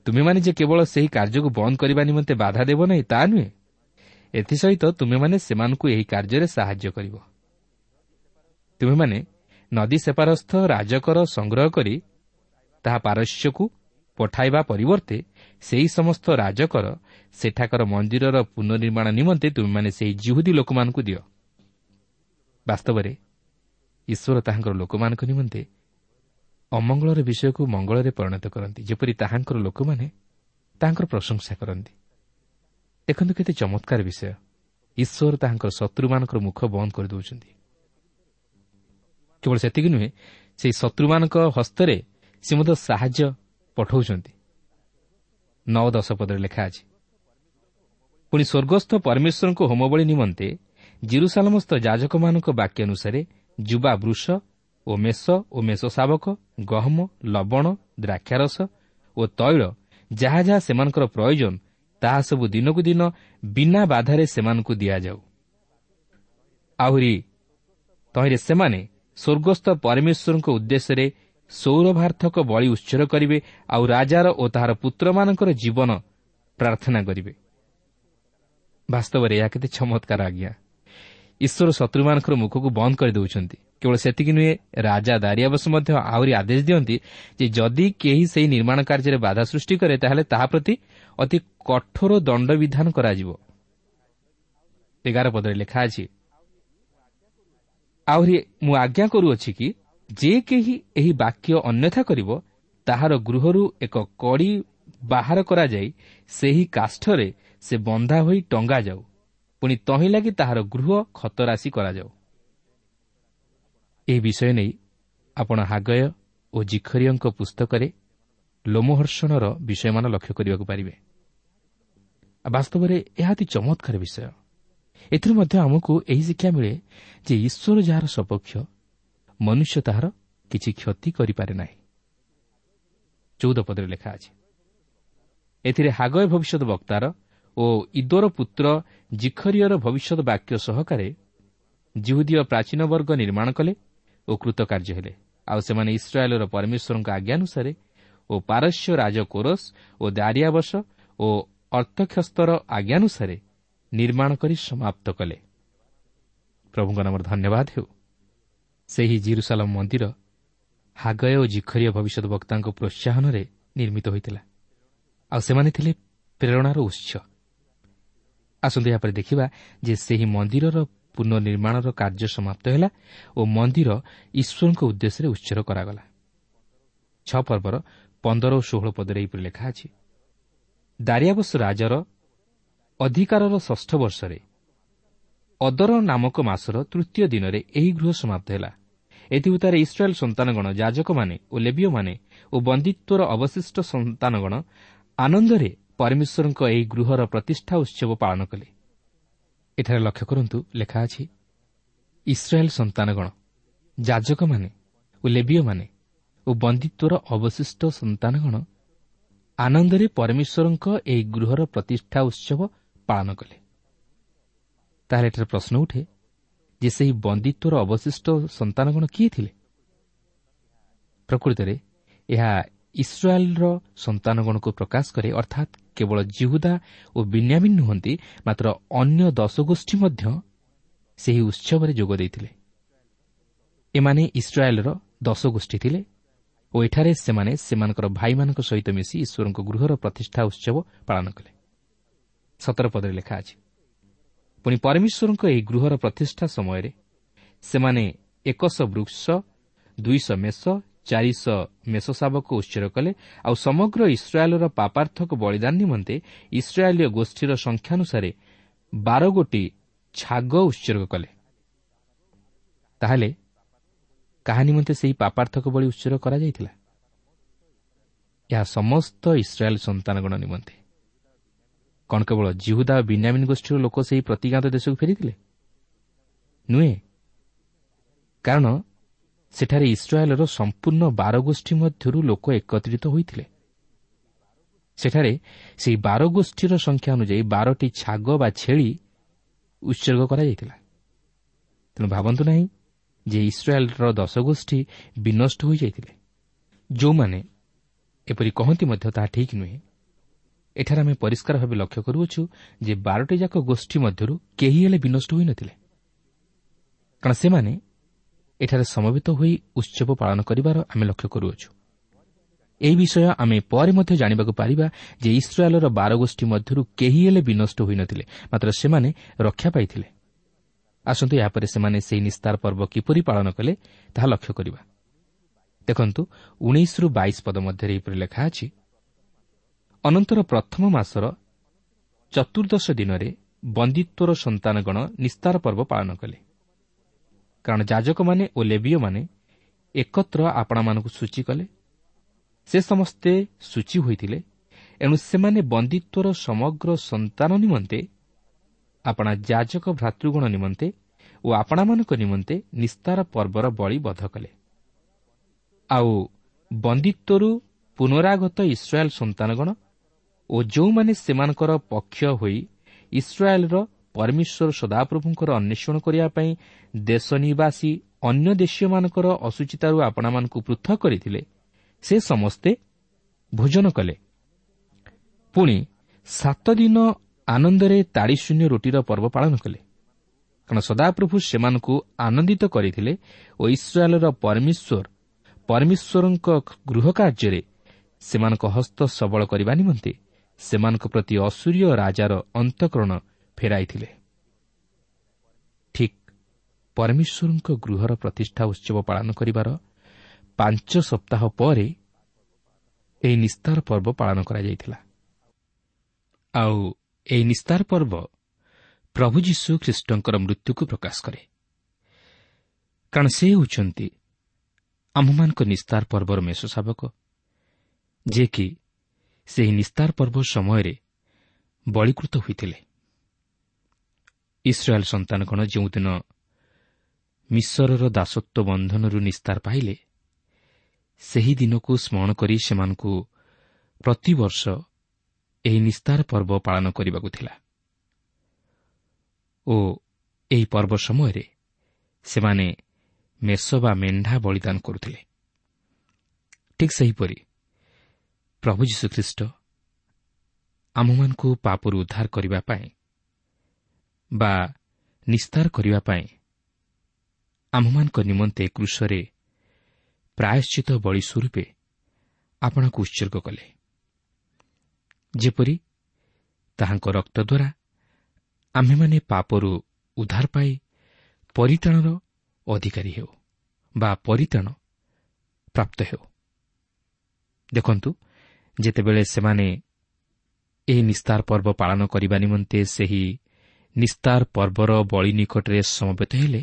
B: ତୁମେମାନେ ଯେ କେବଳ ସେହି କାର୍ଯ୍ୟକୁ ବନ୍ଦ କରିବା ନିମନ୍ତେ ବାଧା ଦେବ ନାହିଁ ତାହା ନୁହେଁ, ଏଥିସହିତ ତୁମେମାନେ ସେମାନଙ୍କୁ ଏହି କାର୍ଯ୍ୟରେ ସାହାଯ୍ୟ କରିବ। ତୁମେମାନେ ନଦୀ ସେପାରସ୍ଥ ରାଜକର ସଂଗ୍ରହ କରି ତାହା ପାରସ୍ୟକୁ ପଠାଇବା ପରିବର୍ତ୍ତେ ସେହି ସମସ୍ତ ରାଜକର ସେଠାକାର ମନ୍ଦିରର ପୁନର୍ନିର୍ମାଣ ନିମନ୍ତେ ତୁମେମାନେ ସେହି ଯିହୁଦୀ ଲୋକମାନଙ୍କୁ ଦିଅ। ବାସ୍ତବରେ ଈଶ୍ୱର ତାହାଙ୍କର ଲୋକମାନଙ୍କ ନିମନ୍ତେ ଅମଙ୍ଗଳର ବିଷୟକୁ ମଙ୍ଗଳରେ ପରିଣତ କରନ୍ତି, ଯେପରି ତାହାଙ୍କର ଲୋକମାନେ ତାହାଙ୍କର ପ୍ରଶଂସା କରନ୍ତି। ଦେଖନ୍ତୁ କେତେ ଚମତ୍କାର ବିଷୟ! ଈଶ୍ୱର ତାହାଙ୍କର ଶତ୍ରୁମାନଙ୍କର ମୁଖ ବନ୍ଦ କରିଦେଉଛନ୍ତି। କେବଳ ସେତିକି ନୁହେଁ, ସେହି ଶତ୍ରୁମାନଙ୍କ ହସ୍ତରେ ସେ ମଧ୍ୟ ସାହାଯ୍ୟ ପଠାଉଛନ୍ତି। 9-10 ପଦରେ ଲେଖା ଅଛି, ପୁଣି ସ୍ୱର୍ଗସ୍ଥ ପରମେଶ୍ୱରଙ୍କ ହୋମବଳି ନିମନ୍ତେ ଜିରୁସାଲମସ୍ଥ ଯାଜକମାନଙ୍କ ବାକ୍ୟ ଅନୁସାରେ ଯୁବା ବୃଷ ଓ ମେଷ ଓ ମେଷ ଶାବକ, ଗହମ, ଲବଣ, ଦ୍ରାକ୍ଷାରସ ଓ ତୈଳ ଯାହା ଯାହା ସେମାନଙ୍କର ପ୍ରୟୋଜନ, ତାହା ସବୁ ଦିନକୁ ଦିନ ବିନା ବାଧାରେ ସେମାନଙ୍କୁ ଦିଆଯାଉ। ଆହୁରି ତହିଁରେ ସେମାନେ ସ୍ୱର୍ଗସ୍ଥ ପରମେଶ୍ୱରଙ୍କ ଉଦ୍ଦେଶ୍ୟରେ ସୌରଭାର୍ଥକ ବଳି ଉତ୍ସର୍ଗ କରିବେ, ଆଉ ରାଜାର ଓ ତାହାର ପୁତ୍ରମାନଙ୍କର ଜୀବନ ପ୍ରାର୍ଥନା କରିବେ। ବାସ୍ତବରେ ଏହା କେତେ ଚମତ୍କାର ଆଜ୍ଞା! ଈଶ୍ୱର ଶତ୍ରୁମାନଙ୍କର ମୁଖକୁ ବନ୍ଦ କରିଦେଉଛନ୍ତି। କେବଳ ସେତିକି ନୁହେଁ, ରାଜା ଦାରିଆବସ ମଧ୍ୟ ଆହୁରି ଆଦେଶ ଦିଅନ୍ତି ଯେ ଯଦି କେହି ସେହି ନିର୍ମାଣ କାର୍ଯ୍ୟରେ ବାଧା ସୃଷ୍ଟି କରେ, ତାହେଲେ ତାହା ପ୍ରତି ଅତି କଠୋର ଦଣ୍ଡବିଧାନ କରାଯିବ। 11 ପଦରେ ଲେଖା ଅଛି, ଆହୁରି ମୁଁ ଆଜ୍ଞା କରୁଅଛି କି ଯେ କେହି ଏହି ବାକ୍ୟ ଅନ୍ୟଥା କରିବ, ତାହାର ଗୃହରୁ ଏକ କଡ଼ି ବାହାର କରାଯାଇ ସେହି କାଷ୍ଠରେ ସେ ବନ୍ଧା ହୋଇ ଟଙ୍ଗାଯାଉ, ପୁଣି ତହିଁ ଲାଗି ତାହାର ଗୃହ ଖତରାଶି କରାଯାଉ। ଏହି ବିଷୟ ନେଇ ଆପଣ ହାଗୟ ଓ ଜିଖରିୟଙ୍କ ପୁସ୍ତକରେ ଲୋମହର୍ଷଣର ବିଷୟମାନ ଲକ୍ଷ୍ୟ କରିବାକୁ ପାରିବେ। ବାସ୍ତବରେ ଏହା ଅତି ଚମତ୍କାର ବିଷୟ। ଏଥିରୁ ମଧ୍ୟ ଆମକୁ ଏହି ଶିକ୍ଷା ମିଳେ ଯେ ଈଶ୍ୱର ଯାହାର ସପକ୍ଷ, ମନୁଷ୍ୟ ତାହାର କିଛି କ୍ଷତି କରିପାରେ ନାହିଁ। 14 ପଦରେ ଲେଖା ଅଛି, ଏଥିରେ ହାଗୟ ଭବିଷ୍ୟତ ବକ୍ତାର ଓ ଇଦୋର ପୁତ୍ର ଜିଖରିୟର ଭବିଷ୍ୟତ ବାକ୍ୟ ସହକାରେ ଜିହୁଦୀୟ ପ୍ରାଚୀନ ବର୍ଗ ନିର୍ମାଣ କଲେ ଓ କୃତକାର୍ଯ୍ୟ ହେଲେ। ଆଉ ସେମାନେ ଇସ୍ରାଏଲର ପରମେଶ୍ୱରଙ୍କ ଆଜ୍ଞାନୁସାରେ ଓ ପାରସ୍ୟ ରାଜ କୋରସ ଓ ଦାରିଆବସ ଓ ଅର୍ତ୍ତକ୍ଷସ୍ତର ଆଜ୍ଞାନୁସାରେ ନିର୍ମାଣ କରି ସମାପ୍ତ କଲେ। ପ୍ରଭୁଙ୍କ ନାମରେ ଧନ୍ୟବାଦ ହେଉ। ସେହି ଜିରୁସାଲମ ମନ୍ଦିର ହାଗୟ ଓ ଜିଖରିୟ ଭବିଷ୍ୟତ ବକ୍ତାଙ୍କ ପ୍ରୋତ୍ସାହନରେ ନିର୍ମିତ ହୋଇଥିଲା, ଆଉ ସେମାନେ ଥିଲେ ପ୍ରେରଣାର ଉତ୍ସ। ଆସନ୍ତୁ ଏହାପରେ ଦେଖିବା ଯେ ସେହି ମନ୍ଦିରର ପୁନଃନିର୍ମାଣର କାର୍ଯ୍ୟ ସମାପ୍ତ ହେଲା ଓ ମନ୍ଦିର ଈଶ୍ୱରଙ୍କ ଉଦ୍ଦେଶ୍ୟରେ ଉତ୍ସର୍ଗ କରାଗଲା। 6 ପର୍ବର 15 ଓ 16 ପଦରେ ଏହିପରି ଲେଖା ଅଛି, ଦାରିଆବସ ରାଜାର ଅଧିକାରର 6ଷ୍ଠ ବର୍ଷରେ ଅଦର ନାମକ ମାସର 3ୟ ଦିନରେ ଏହି ଗୃହ ସମାପ୍ତ ହେଲା। ଏଥିଉତ୍ତାରେ ଇସ୍ରାଏଲ୍ ସନ୍ତାନଗଣ, ଯାଜକମାନେ ଓ ଲେବୀୟମାନେ ଓ ବନ୍ଦିତ୍ୱର ଅବଶିଷ୍ଟ ସନ୍ତାନଗଣ ଆନନ୍ଦରେ ପରମେଶ୍ୱରଙ୍କ ଏହି ଗୃହର ପ୍ରତିଷ୍ଠା ଉତ୍ସବ ପାଳନ କଲେ। ଏଠାରେ ଲକ୍ଷ୍ୟ କରନ୍ତୁ, ଲେଖା ଅଛି ଇସ୍ରାଏଲ୍ ସନ୍ତାନଗଣ, ଯାଜକମାନେ ଓ ଲେବୀୟମାନେ ଓ ବନ୍ଦିତ୍ୱର ଅବଶିଷ୍ଟ ସନ୍ତାନଗଣ ଆନନ୍ଦରେ ପରମେଶ୍ୱରଙ୍କ ଏହି ଗୃହର ପ୍ରତିଷ୍ଠା ଉତ୍ସବ ପାଳନ କଲେ। ତାହେଲେ ଏଠାରେ ପ୍ରଶ୍ନ ଉଠେ ଯେ ସେହି ବନ୍ଦିତ୍ୱର ଅବଶିଷ୍ଟ ସନ୍ତାନଗଣ କିଏ ଥିଲେ? ପ୍ରକୃତରେ ଏହା ଇସ୍ରାଏଲ୍ର ସନ୍ତାନଗଣକୁ ପ୍ରକାଶ କରେ, ଅର୍ଥାତ୍ କେବଳ ଜିହୁଦା ଓ ବିନ୍ୟାମିନ୍ ନୁହନ୍ତି, ମାତ୍ର ଅନ୍ୟ 10 ଗୋଷ୍ଠୀ ମଧ୍ୟ ସେହି ଉତ୍ସବରେ ଯୋଗ ଦେଇଥିଲେ। ଏମାନେ ଇସ୍ରାଏଲ୍ର 10 ଗୋଷ୍ଠୀ ଥିଲେ ଓ ଏଠାରେ ସେମାନେ ସେମାନଙ୍କର ଭାଇମାନଙ୍କ ସହିତ ମିଶି ଈଶ୍ୱରଙ୍କ ଗୃହର ପ୍ରତିଷ୍ଠା ଉତ୍ସବ ପାଳନ କଲେ। 17 ପଦରେ ଲେଖା ଅଛି, ପୁଣି ପରମେଶ୍ୱରଙ୍କ ଏହି ଗୃହର ପ୍ରତିଷ୍ଠା ସମୟରେ ସେମାନେ 100 ବୃକ୍ଷ, 200 ମେଷ, 400 ମେଷ ଶାବକ ଉତ୍ସର୍ଗ କଲେ। ଆଉ ସମଗ୍ର ଇସ୍ରାଏଲର ପାପାର୍ଥକ ବଳିଦାନ ନିମନ୍ତେ ଇସ୍ରାଏଲୀୟ ଗୋଷ୍ଠୀର ସଂଖ୍ୟାନୁସାରେ 12 ଗୋଟି ଛାଗ ଉତ୍ସର୍ଗ କଲେ। ତାହେଲେ କାହା ନିମନ୍ତେ ସେହି ପାପାର୍ଥକ ବଳି ଉତ୍ସର୍ଗ କରାଯାଇଥିଲା? ଏହା ସମସ୍ତ ଇସ୍ରାଏଲ ସନ୍ତାନଗଣ ନିମନ୍ତେ। କ'ଣ କେବଳ ଜିହୁଦା ଓ ବିନ୍ୟାମିନ୍ ଗୋଷ୍ଠୀର ଲୋକ ସେହି ପ୍ରତିଜ୍ଞାତ ଦେଶକୁ ଫେରିଥିଲେ? ନୁହେଁ, କାରଣ ସେଠାରେ ଇସ୍ରାଏଲର ସମ୍ପୂର୍ଣ୍ଣ 12 ଗୋଷ୍ଠୀ ମଧ୍ୟରୁ ଲୋକ ଏକତ୍ରିତ ହୋଇଥିଲେ। ସେଠାରେ ସେହି 12 ଗୋଷ୍ଠୀର ସଂଖ୍ୟା ଅନୁଯାୟୀ 12ଟି ଛାଗ ବା ଛେଳି ଉତ୍ସର୍ଗ କରାଯାଇଥିଲା। ତେଣୁ ଭାବନ୍ତୁ ନାହିଁ ଯେ ଇସ୍ରାଏଲର 10 ଗୋଷ୍ଠୀ ବିନଷ୍ଟ ହୋଇଯାଇଥିଲେ। ଯେଉଁମାନେ ଏପରି କହନ୍ତି ମଧ୍ୟ ତାହା ଠିକ୍ ନୁହେଁ। ଏଠାରେ ଆମେ ପରିଷ୍କାର ଭାବେ ଲକ୍ଷ୍ୟ କରୁଅଛୁ ଯେ 12ଟି ଯାକ ଗୋଷ୍ଠୀ ମଧ୍ୟରୁ କେହି ହେଲେ ବିନଷ୍ଟ ହୋଇନଥିଲେ, କାରଣ ସେମାନେ ଏଠାରେ ସମବେତ ହୋଇ ଉତ୍ସବ ପାଳନ କରିବାର ଆମେ ଲକ୍ଷ୍ୟ କରୁଅଛୁ। ଏହି ବିଷୟ ଆମେ ପରେ ମଧ୍ୟ ଜାଣିବାକୁ ପାରିବା ଯେ ଇସ୍ରାଏଲର 12 ଗୋଷ୍ଠୀ ମଧ୍ୟରୁ କେହି ହେଲେ ବିନଷ୍ଟ ହୋଇନଥିଲେ, ମାତ୍ର ସେମାନେ ରକ୍ଷା ପାଇଥିଲେ। ଆସନ୍ତୁ ଏହାପରେ ସେମାନେ ସେହି ନିସ୍ତାର ପର୍ବ କିପରି ପାଳନ କଲେ ତାହା ଲକ୍ଷ୍ୟ କରିବା। ଦେଖନ୍ତୁ 19ରୁ 22 ପଦ ମଧ୍ୟରେ ଏହିପରି ଲେଖା ଅଛି, ଅନନ୍ତର ପ୍ରଥମ ମାସର 14 ଦିନରେ ବନ୍ଦିତ୍ୱର ସନ୍ତାନଗଣ ନିସ୍ତାର ପର୍ବ ପାଳନ କଲେ, କାରଣ ଯାଜକମାନେ ଓ ଲେବୀୟମାନେ ଏକତ୍ର ଆପଣାମାନଙ୍କୁ ସୂଚୀ କଲେ। ସେ ସମସ୍ତେ ସୂଚୀ ହୋଇଥିଲେ, ଏଣୁ ସେମାନେ ବନ୍ଦିତ୍ୱର ସମଗ୍ର ସନ୍ତାନ ନିମନ୍ତେ, ଆପଣା ଯାଜକ ଭ୍ରାତୃଗଣ ନିମନ୍ତେ ଓ ଆପଣାମାନଙ୍କ ନିମନ୍ତେ ନିସ୍ତାର ପର୍ବର ବଳି ବଧ କଲେ। ଆଉ ବନ୍ଦିତ୍ୱରୁ ପୁନରାଗତ ଇସ୍ରାଏଲ୍ ସନ୍ତାନଗଣ ଓ ଯେଉଁମାନେ ସେମାନଙ୍କର ପକ୍ଷ ହୋଇ ଇସ୍ରାଏଲ୍ର ପରମେଶ୍ୱର ସଦାପ୍ରଭୁଙ୍କର ଅନ୍ୱେଷଣ କରିବା ପାଇଁ ଦେଶ ନିବାସୀ ଅନ୍ୟ ଦେଶୀୟମାନଙ୍କର ଅଶୁଚିତାରୁ ଆପଣାମାନଙ୍କୁ ପୃଥକ କରିଥିଲେ, ସେ ସମସ୍ତେ ଭୋଜନ କଲେ। ପୁଣି 7 ଦିନ ଆନନ୍ଦରେ ତାଡ଼ିଶୂନ୍ୟ ରୋଟିର ପର୍ବ ପାଳନ କଲେ, କାରଣ ସଦାପ୍ରଭୁ ସେମାନଙ୍କୁ ଆନନ୍ଦିତ କରିଥିଲେ ଓ ଇସ୍ରାଏଲ୍ର ପରମେଶ୍ୱରଙ୍କ ଗୃହ କାର୍ଯ୍ୟରେ ସେମାନଙ୍କ ହସ୍ତ ସବଳ କରିବା ନିମନ୍ତେ ସେମାନଙ୍କ ପ୍ରତି ଅସୂରୀୟ ରାଜାର ଅନ୍ତଃକରଣ ଫେରାଇଥିଲେ। ଠିକ୍ ପରମେଶ୍ୱରଙ୍କ ଗୃହର ପ୍ରତିଷ୍ଠା ଉତ୍ସବ ପାଳନ କରିବାର 5 ସପ୍ତାହ ପରେ ଏହି ନିସ୍ତାର ପର୍ବ ପାଳନ କରାଯାଇଥିଲା। ଆଉ ଏହି ନିସ୍ତାର ପର୍ବ ପ୍ରଭୁ ଯୀଶୁ ଖ୍ରୀଷ୍ଟଙ୍କର ମୃତ୍ୟୁକୁ ପ୍ରକାଶ କରେ, କାରଣ ସେ ହେଉଛନ୍ତି ଆମ୍ଭମାନଙ୍କ ନିସ୍ତାର ପର୍ବର ମେଷ ଶାବକ, ଯିଏକି ସେହି ନିସ୍ତାର ପର୍ବ ସମୟରେ ବଳୀକୃତ ହୋଇଥିଲେ। ଇସ୍ରାଏଲ୍ ସନ୍ତାନଗଣ ଯେଉଁଦିନ ମିଶରର ଦାସତ୍ୱ ବନ୍ଧନରୁ ନିସ୍ତାର ପାଇଲେ, ସେହି ଦିନକୁ ସ୍ମରଣ କରି ସେମାନଙ୍କୁ ପ୍ରତିବର୍ଷ ଏହି ନିସ୍ତାର ପର୍ବ ପାଳନ କରିବାକୁ ଥିଲା ଓ ଏହି ପର୍ବ ସମୟରେ ସେମାନେ ମେଷ ବା ମେଣ୍ଢା ବଳିଦାନ କରୁଥିଲେ। ଠିକ୍ ସେହିପରି ପ୍ରଭୁ ଯୀଶୁଖ୍ରୀଷ୍ଟ ଆମମାନଙ୍କୁ ପାପରୁ ଉଦ୍ଧାର କରିବା ପାଇଁ ବା ନିସ୍ତାର କରିବା ପାଇଁ ଆମ୍ଭମାନଙ୍କ ନିମନ୍ତେ କ୍ରୁଶରେ ପ୍ରାୟଶ୍ଚିତ ବଳି ସ୍ୱରୂପେ ଆପଣଙ୍କୁ ଉତ୍ସର୍ଗ କଲେ, ଯେପରି ତାହାଙ୍କ ରକ୍ତ ଦ୍ୱାରା ଆମ୍ଭେମାନେ ପାପରୁ ଉଦ୍ଧାର ପାଇ ପରିତ୍ରାଣର ଅଧିକାରୀ ହେଉ ବା ପରିତ୍ରାଣ ପ୍ରାପ୍ତ ହେଉ। ଦେଖନ୍ତୁ, ଯେତେବେଳେ ସେମାନେ ଏହି ନିସ୍ତାର ପର୍ବ ପାଳନ କରିବା ନିମନ୍ତେ ସେହି ନିସ୍ତାର ପର୍ବର ବଳି ନିକଟରେ ସମବେତ ହେଲେ,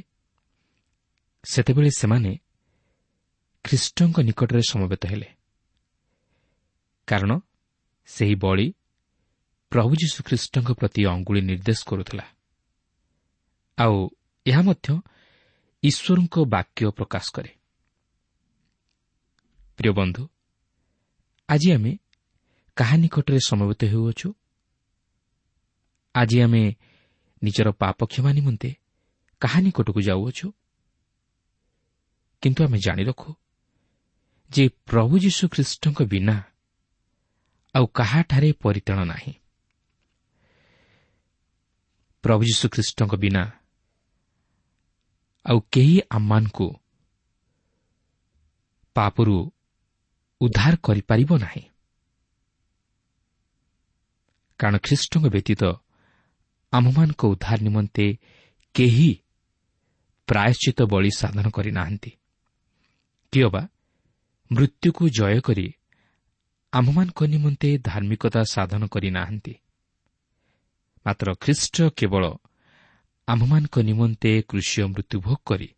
B: ସେତେବେଳେ ସେମାନେ ଖ୍ରୀଷ୍ଟଙ୍କ ନିକଟରେ ସମବେତ ହେଲେ, କାରଣ ସେହି ବଳି ପ୍ରଭୁ ଯୀଶୁଖ୍ରୀଷ୍ଟଙ୍କ ପ୍ରତି ଅଙ୍ଗୁଳି ନିର୍ଦ୍ଦେଶ କରୁଥିଲା। ଆଉ ଏହା ମଧ୍ୟ ଈଶ୍ୱରଙ୍କ ବାକ୍ୟ ପ୍ରକାଶ କରେ। ପ୍ରିୟ ବନ୍ଧୁ, ଆଜି ଆମେ କାହା ନିକଟରେ ସମବେତ ହେଉଅଛୁ? ଆଜି ଆମେ ନିଜର ପାପ କ୍ଷମା ନିମନ୍ତେ କାହା ନିକଟକୁ ଯାଉଅଛୁ? କିନ୍ତୁ ଆମେ ଜାଣି ରଖୁ ଯେ ପ୍ରଭୁ ଯୀଶୁଖ୍ରୀଷ୍ଟଙ୍କ ବିନା ଆଉ କାହାଠାରେ ପରିତ୍ରାଣ ନାହିଁ। ପ୍ରଭୁ ଯୀଶୁଖ୍ରୀଷ୍ଟଙ୍କ ବିନା ଆଉ କେହି ଆମମାନଙ୍କୁ ପାପରୁ ଉଦ୍ଧାର କରିପାରିବ ନାହିଁ, କାରଣ ଖ୍ରୀଷ୍ଟଙ୍କ ବ୍ୟତୀତ ଆମ୍ଭମାନଙ୍କ ଉଦ୍ଧାର ନିମନ୍ତେ କେହି ପ୍ରାୟଶ୍ଚିତ ବଳି ସାଧନ କରିନାହାନ୍ତି, କିଅବା ମୃତ୍ୟୁକୁ ଜୟ କରି ଆମ୍ଭମାନଙ୍କ ନିମନ୍ତେ ଧାର୍ମିକତା ସାଧନ କରିନାହାନ୍ତି। ମାତ୍ର ଖ୍ରୀଷ୍ଟ କେବଳ ଆମ୍ଭମାନଙ୍କ ନିମନ୍ତେ କୃଷୀୟ ମୃତ୍ୟୁଭୋଗ କରି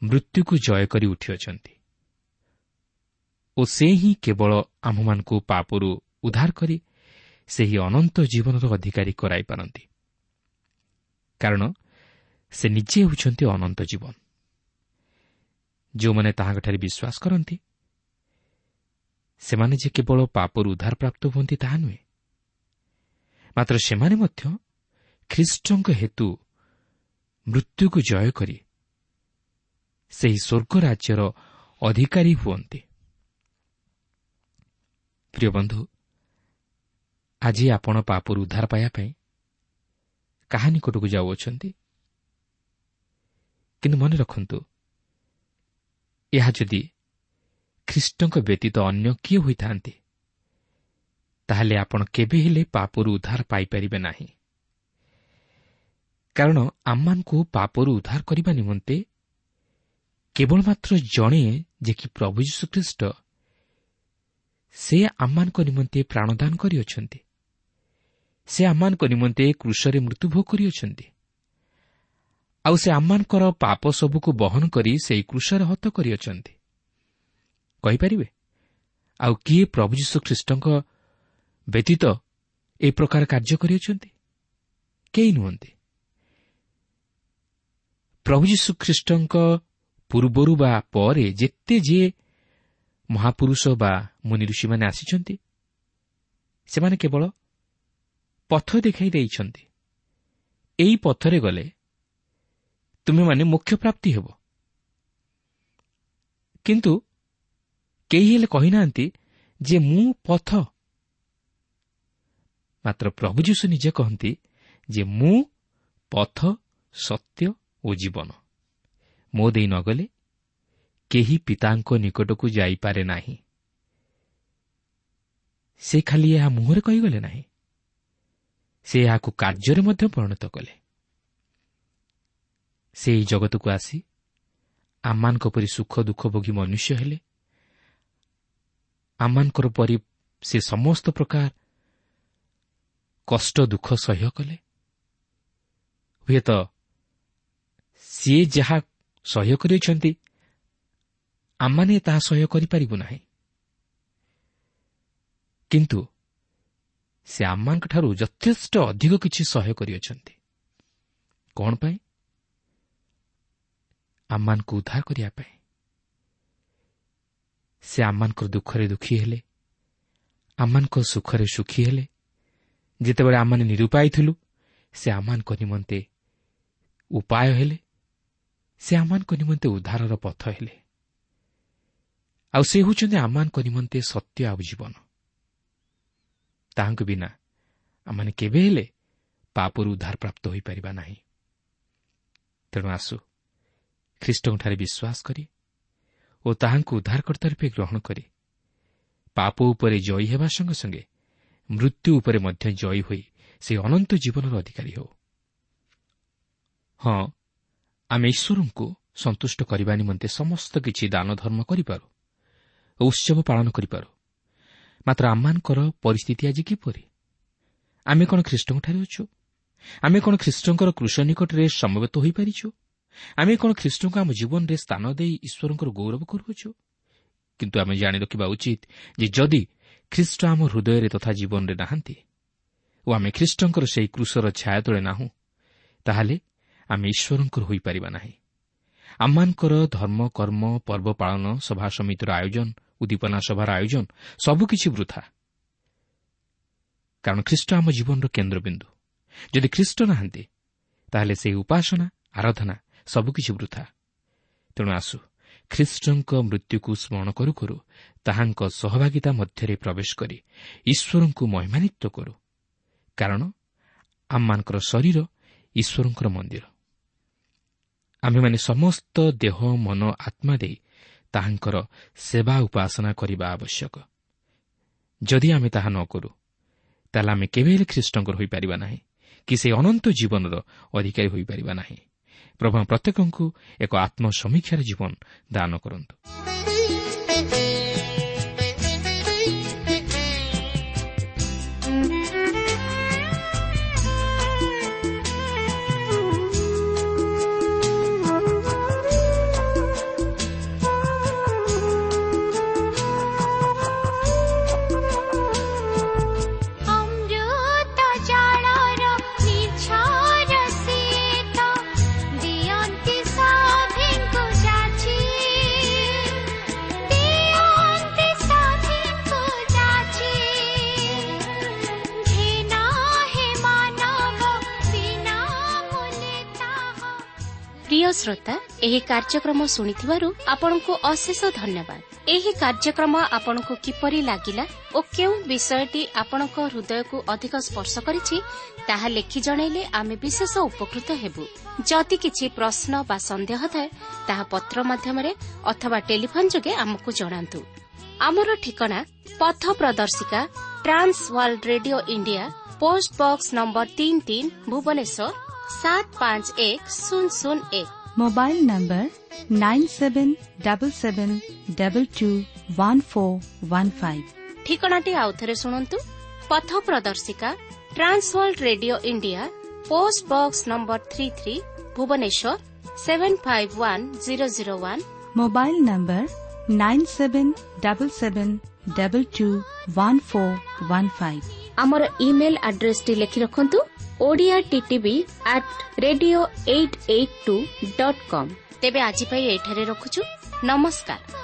B: ମୃତ୍ୟୁକୁ ଜୟ କରି ଉଠିଅଛନ୍ତି ଓ ସେ ହିଁ କେବଳ ଆମ୍ଭମାନଙ୍କୁ ପାପରୁ ଉଦ୍ଧାର କରି ସେହି ଅନନ୍ତ ଜୀବନର ଅଧିକାରୀ କରାଇପାରନ୍ତି, କାରଣ ସେ ନିଜେ ହେଉଛନ୍ତି ଅନନ୍ତ ଜୀବନ। ଯେଉଁମାନେ ତାହାଙ୍କଠାରେ ବିଶ୍ୱାସ କରନ୍ତି ସେମାନେ ଯେ କେବଳ ପାପରୁ ଉଦ୍ଧାର ପ୍ରାପ୍ତ ହୁଅନ୍ତି ତାହା ନୁହେଁ, ମାତ୍ର ସେମାନେ ମଧ୍ୟ ଖ୍ରୀଷ୍ଟଙ୍କ ହେତୁ ମୃତ୍ୟୁକୁ ଜୟ କରି ସେହି ସ୍ୱର୍ଗ ରାଜ୍ୟର ଅଧିକାରୀ ହୁଅନ୍ତି। ପ୍ରିୟ ବନ୍ଧୁ, ଆଜି ଆପଣ ପାପରୁ ଉଦ୍ଧାର ପାଇବା ପାଇଁ କାହା ନିକଟକୁ ଯାଉଅଛନ୍ତି? କିନ୍ତୁ ମନେ ରଖନ୍ତୁ, ଏହା ଯଦି ଖ୍ରୀଷ୍ଟଙ୍କ ବ୍ୟତୀତ ଅନ୍ୟ କିଏ ହୋଇଥାନ୍ତି, ତାହେଲେ ଆପଣ କେବେ ହେଲେ ପାପରୁ ଉଦ୍ଧାର ପାଇପାରିବେ ନାହିଁ, କାରଣ ଆମମାନଙ୍କୁ ପାପରୁ ଉଦ୍ଧାର କରିବା ନିମନ୍ତେ କେବଳ ମାତ୍ର ଜଣେ, ଯେ କି ପ୍ରଭୁ ଯୀଶୁଖ୍ରୀଷ୍ଟ, ସେ ଆମମାନଙ୍କ ନିମନ୍ତେ ପ୍ରାଣଦାନ କରିଅଛନ୍ତି। ସେ ଆମମାନଙ୍କ ନିମନ୍ତେ କ୍ରୁଶରେ ମୃତ୍ୟୁଭୋଗ କରିଅଛନ୍ତି, ଆଉ ସେ ଆମମାନଙ୍କର ପାପ ସବୁକୁ ବହନ କରି ସେହି କ୍ରୁଶରେ ହତ କରିଅଛନ୍ତି। କହିପାରିବେ ଆଉ କିଏ ପ୍ରଭୁ ଯୀଶୁଖ୍ରୀଷ୍ଟଙ୍କ ବ୍ୟତୀତ ଏ ପ୍ରକାର କାର୍ଯ୍ୟ କରିଅଛନ୍ତି? କେହି ନୁହନ୍ତି। ପ୍ରଭୁ ଯୀଶୁଖ୍ରୀଷ୍ଟଙ୍କ ପୂର୍ବରୁ ବା ପରେ ଯେତେ ଯିଏ ମହାପୁରୁଷ ବା ମୁନି ଋଷିମାନେ ଆସିଛନ୍ତି, ସେମାନେ କେବଳ ପଥ ଦେଖାଇ ଦେଇଛନ୍ତି। ଏହି ପଥରେ ଗଲେ ତୁମେମାନେ ମୋକ୍ଷ ପ୍ରାପ୍ତି ହେବ, କିନ୍ତୁ କେହି ହେଲେ କହିନାହାନ୍ତି ଯେ ମୁଁ ପଥ। ମାତ୍ର ପ୍ରଭୁ ଯୀଶୁ ନିଜେ କହନ୍ତି ଯେ ମୁଁ ପଥ, ସତ୍ୟ ଓ ଜୀବନ। ମୋ ଦେଇ ନ ଗଲେ କେହି ପିତାଙ୍କ ନିକଟକୁ ଯାଇପାରେ ନାହିଁ। ସେ ଖାଲି ଏହା ମୁହଁରେ କହିଗଲେ ନାହିଁ, ସେ ଏହାକୁ କାର୍ଯ୍ୟରେ ମଧ୍ୟ ପରିଣତ କଲେ। ସେ ଏହି ଜଗତକୁ ଆସି ଆମମାନଙ୍କ ପରି ସୁଖ ଦୁଃଖ ଭୋଗୀ ମନୁଷ୍ୟ ହେଲେ। ଆମମାନଙ୍କର ପରି ସେ ସମସ୍ତ ପ୍ରକାର କଷ୍ଟ ଦୁଃଖ ସହ୍ୟ କଲେ। ହୁଏତ ସିଏ ଯାହା ସହ୍ୟ କରିଅଛନ୍ତି ଆମମାନେ ତାହା ସହ୍ୟ କରିପାରିବୁ ନାହିଁ, କିନ୍ତୁ ସେ ଆମମାନଙ୍କଠାରୁ ଯଥେଷ୍ଟ ଅଧିକ କିଛି ସହ୍ୟ କରିଅଛନ୍ତି। କ'ଣ ପାଇଁ? ଆମମାନଙ୍କୁ ଉଦ୍ଧାର କରିବା ପାଇଁ। ସେ ଆମମାନଙ୍କର ଦୁଃଖରେ ଦୁଃଖୀ ହେଲେ, ଆମମାନଙ୍କ ସୁଖରେ ସୁଖୀ ହେଲେ। ଯେତେବେଳେ ଆମମାନେ ନିରୁପାୟ ଥିଲୁ, ସେ ଆମମାନଙ୍କ ନିମନ୍ତେ ଉପାୟ ହେଲେ, ସେ ଆମମାନଙ୍କ ନିମନ୍ତେ ଉଦ୍ଧାରର ପଥ ହେଲେ। ଆଉ ସେ ହେଉଛନ୍ତି ଆମମାନଙ୍କ ନିମନ୍ତେ ସତ୍ୟ ଆଉ ଜୀବନ। ତାହାଙ୍କୁ ବିନା ଆମମାନେ କେବେ ହେଲେ ପାପରୁ ଉଦ୍ଧାର ପ୍ରାପ୍ତ ହୋଇପାରିବା ନାହିଁ। ତେଣୁ ଆସୁ ଖ୍ରୀଷ୍ଟଙ୍କଠାରେ ବିଶ୍ୱାସ କରି ଓ ତାହାଙ୍କୁ ଉଦ୍ଧାରକର୍ତ୍ତା ରୂପେ ଗ୍ରହଣ କରି ପାପ ଉପରେ ଜୟୀ ହେବା ସଙ୍ଗେ ସଙ୍ଗେ ମୃତ୍ୟୁ ଉପରେ ମଧ୍ୟ ଜୟୀ ହୋଇ ସେହି ଅନନ୍ତ ଜୀବନର ଅଧିକାରୀ ହେଉ। ହଁ, ଆମେ ଈଶ୍ୱରଙ୍କୁ ସନ୍ତୁଷ୍ଟ କରିବା ନିମନ୍ତେ ସମସ୍ତ କିଛି ଦାନ ଧର୍ମ କରିପାରୁ ଓ ଉତ୍ସବ ପାଳନ କରିପାରୁ, ମାତ୍ର ଆମମାନଙ୍କର ପରିସ୍ଥିତି ଆଜି କିପରି? ଆମେ କ'ଣ ଖ୍ରୀଷ୍ଟଙ୍କଠାରେ ଅଛୁ? ଆମେ କ'ଣ ଖ୍ରୀଷ୍ଟଙ୍କର କୃଷ ନିକଟରେ ସମବେତ ହୋଇପାରିଛୁ? ଆମେ କ'ଣ ଖ୍ରୀଷ୍ଟଙ୍କୁ ଆମ ଜୀବନରେ ସ୍ଥାନ ଦେଇ ଈଶ୍ୱରଙ୍କର ଗୌରବ କରୁଅଛୁ? କିନ୍ତୁ ଆମେ ଜାଣି ରଖିବା ଉଚିତ ଯେ ଯଦି ଖ୍ରୀଷ୍ଟ ଆମ ହୃଦୟରେ ତଥା ଜୀବନରେ ନାହାନ୍ତି ଓ ଆମେ ଖ୍ରୀଷ୍ଟଙ୍କର ସେହି କୃଷର ଛାୟା ତଳେ ନାହୁଁ, ତାହେଲେ ଆମେ ଈଶ୍ୱରଙ୍କର ହୋଇପାରିବା ନାହିଁ। ଆମମାନଙ୍କର ଧର୍ମ, କର୍ମ, ପର୍ବ ପାଳନ, ସଭା ସମିତିର ଆୟୋଜନ, ଉଦ୍ଦୀପନା ସଭାର ଆୟୋଜନ ସବୁକିଛି ବୃଥା। କାରଣ ଖ୍ରୀଷ୍ଟ ଆମ ଜୀବନର କେନ୍ଦ୍ରବିନ୍ଦୁ। ଯଦି ଖ୍ରୀଷ୍ଟ ନାହାନ୍ତି, ତାହେଲେ ସେହି ଉପାସନା, ଆରାଧନା ସବୁକିଛି ବୃଥା। ତେଣୁ ଆସୁ ଖ୍ରୀଷ୍ଟଙ୍କ ମୃତ୍ୟୁକୁ ସ୍ମରଣ କରୁ କରୁ ତାହାଙ୍କ ସହଭାଗିତା ମଧ୍ୟରେ ପ୍ରବେଶ କରି ଈଶ୍ୱରଙ୍କୁ ମହିମାନ୍ୱିତ କରୁ। କାରଣ ଆମମାନଙ୍କର ଶରୀର ଈଶ୍ୱରଙ୍କର ମନ୍ଦିର। ଆମ୍ଭେମାନେ ସମସ୍ତ ଦେହ, ମନ, ଆତ୍ମା ଦେଇ ତାହାଙ୍କର ସେବା ଉପାସନା କରିବା ଆବଶ୍ୟକ। ଯଦି ଆମେ ତାହା ନ କରୁ, ତାହେଲେ ଆମେ କେବେ ହେଲେ ଖ୍ରୀଷ୍ଟଙ୍କର ହୋଇପାରିବା ନାହିଁ କି ସେହି ଅନନ୍ତ ଜୀବନର ଅଧିକାରୀ ହୋଇପାରିବା ନାହିଁ। ପ୍ରଭୁ ପ୍ରତ୍ୟେକଙ୍କୁ ଏକ ଆତ୍ମସମୀକ୍ଷାର ଜୀବନ ଦାନ କରନ୍ତୁ।
A: ପ୍ରିୟ ଶ୍ରୋତା, ଏହି କାର୍ଯ୍ୟକ୍ରମ ଶୁଣିଥିବାରୁ ଆପଣଙ୍କୁ ଅଶେଷ ଧନ୍ୟବାଦ। ଏହି କାର୍ଯ୍ୟକ୍ରମ ଆପଣଙ୍କୁ କିପରି ଲାଗିଲା ଓ କେଉଁ ବିଷୟଟି ଆପଣଙ୍କ ହୃଦୟକୁ ଅଧିକ ସ୍ପର୍ଶ କରିଛି, ତାହା ଲେଖି ଜଣାଇଲେ ଆମେ ବିଶେଷ ଉପକୃତ ହେବୁ। ଯଦି କିଛି ପ୍ରଶ୍ନ ବା ସନ୍ଦେହ ଥାଏ, ତାହା ପତ୍ର ମାଧ୍ୟମରେ ଅଥବା ଟେଲିଫୋନ୍ ଯୋଗେ ଆମକୁ ଜଣାନ୍ତୁ। ଆମର ଠିକଣା ପଥ ପ୍ରଦର୍ଶିକା, Trans World Radio India, post box number 33, Bhubaneswar 751001।
C: Mobile number 9777221415।
A: ଠିକଣାଟି ଆଉଥରେ ଶୁଣନ୍ତୁ। ପଥ ପ୍ରଦର୍ଶିକା, Trans World Radio India, post box number 33, Bhubaneswar 751001।
C: Mobile number 9777221415।
A: ଆମର ଇମେଲ୍ ଆଡ୍ରେସଟି ଲେଖି ରଖନ୍ତୁ, Odia TTV at radio 882.com। ତେବେ ଆଜି ପାଇଁ ଏଠାରେ ରଖୁଛୁ। ନମସ୍କାର।